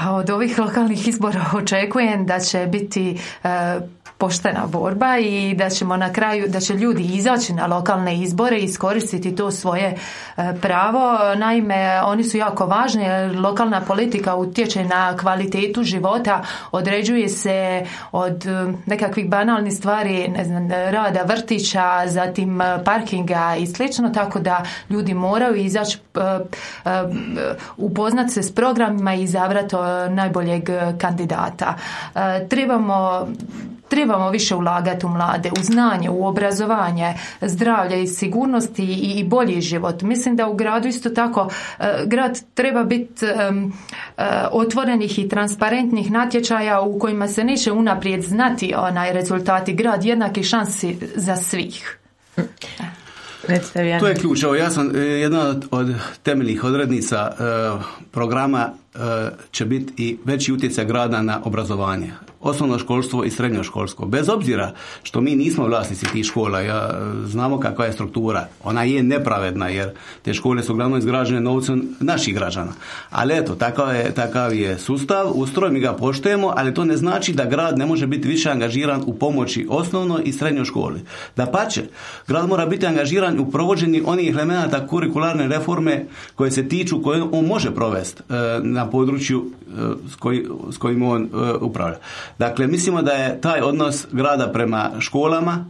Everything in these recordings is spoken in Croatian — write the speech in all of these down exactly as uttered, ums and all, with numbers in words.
Pa od ovih lokalnih izbora očekujem da će biti e, poštena borba i da ćemo na kraju, da će ljudi izaći na lokalne izbore i iskoristiti to svoje e, pravo. Naime, oni su jako važni jer lokalna politika utječe na kvalitetu života, određuje se od e, nekakvih banalnih stvari, ne znam, rada vrtića, zatim parkinga i slično, tako da ljudi moraju izaći, e, e, upoznati se s programima i izabrati najboljeg kandidata. E, trebamo Trebamo više ulagati u mlade, u znanje, u obrazovanje, zdravlje i sigurnosti i, i bolji život. Mislim da u gradu isto tako e, grad treba biti e, e, otvorenih i transparentnih natječaja u kojima se neće unaprijed znati onaj rezultati. Grad jednaki šansi za svih. To je ključ. Evo, ja sam jedna od, od temeljnih odrednica e, programa e, će biti i veći utjecaj grada na obrazovanje. Osnovno školstvo i srednje školstvo. Bez obzira što mi nismo vlasnici tih škola, ja, znamo kakva je struktura. Ona je nepravedna jer te škole su uglavnom izgrađene novcem naših građana. Ali eto, takav je, takav je sustav, ustroj, mi ga poštujemo, ali to ne znači da grad ne može biti više angažiran u pomoći osnovnoj i srednjoj školi. Dapače, grad mora biti angažiran u provođenju onih elemenata kurikularne reforme koje se tiču, koje on može provesti e, na području e, s, koji, s kojim on e, upravlja. Dakle, mislimo da je taj odnos grada prema školama,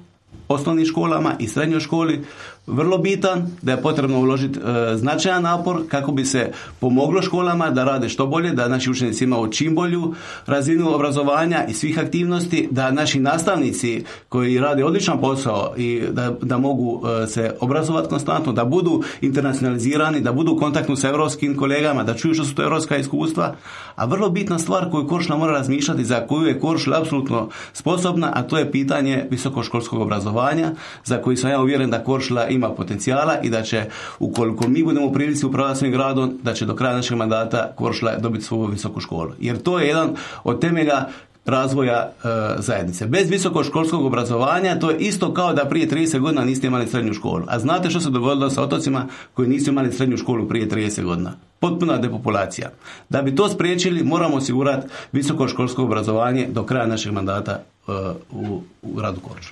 osnovnim školama i srednjoj školi vrlo bitan, da je potrebno uložiti e, značajan napor kako bi se pomoglo školama da rade što bolje, da naši učenici imaju čim bolju razinu obrazovanja i svih aktivnosti, da naši nastavnici koji rade odličan posao i da, da mogu e, se obrazovati konstantno, da budu internacionalizirani, da budu u kontaktu sa europskim kolegama, da čuju što su to europska iskustva. A vrlo bitna stvar koju Korčula mora razmišljati, za koju je Korčula apsolutno sposobna, a to je pitanje visokoškolskog obrazovanja, za koji sam ja uvjeren da Korčula ima potencijala i da će, ukoliko mi budemo u prilici upravljati svojim gradom, da će do kraja našeg mandata Korčula dobiti svoju visoku školu. Jer to je jedan od temelja razvoja e, zajednice. Bez visokoškolskog obrazovanja to je isto kao da prije trideset godina niste imali srednju školu. A znate što se dogodilo sa otocima koji nisu imali srednju školu prije trideset godina? Potpuna depopulacija. Da bi to spriječili, moramo osigurati visokoškolsko obrazovanje do kraja našeg mandata e, u, u gradu Korčuli.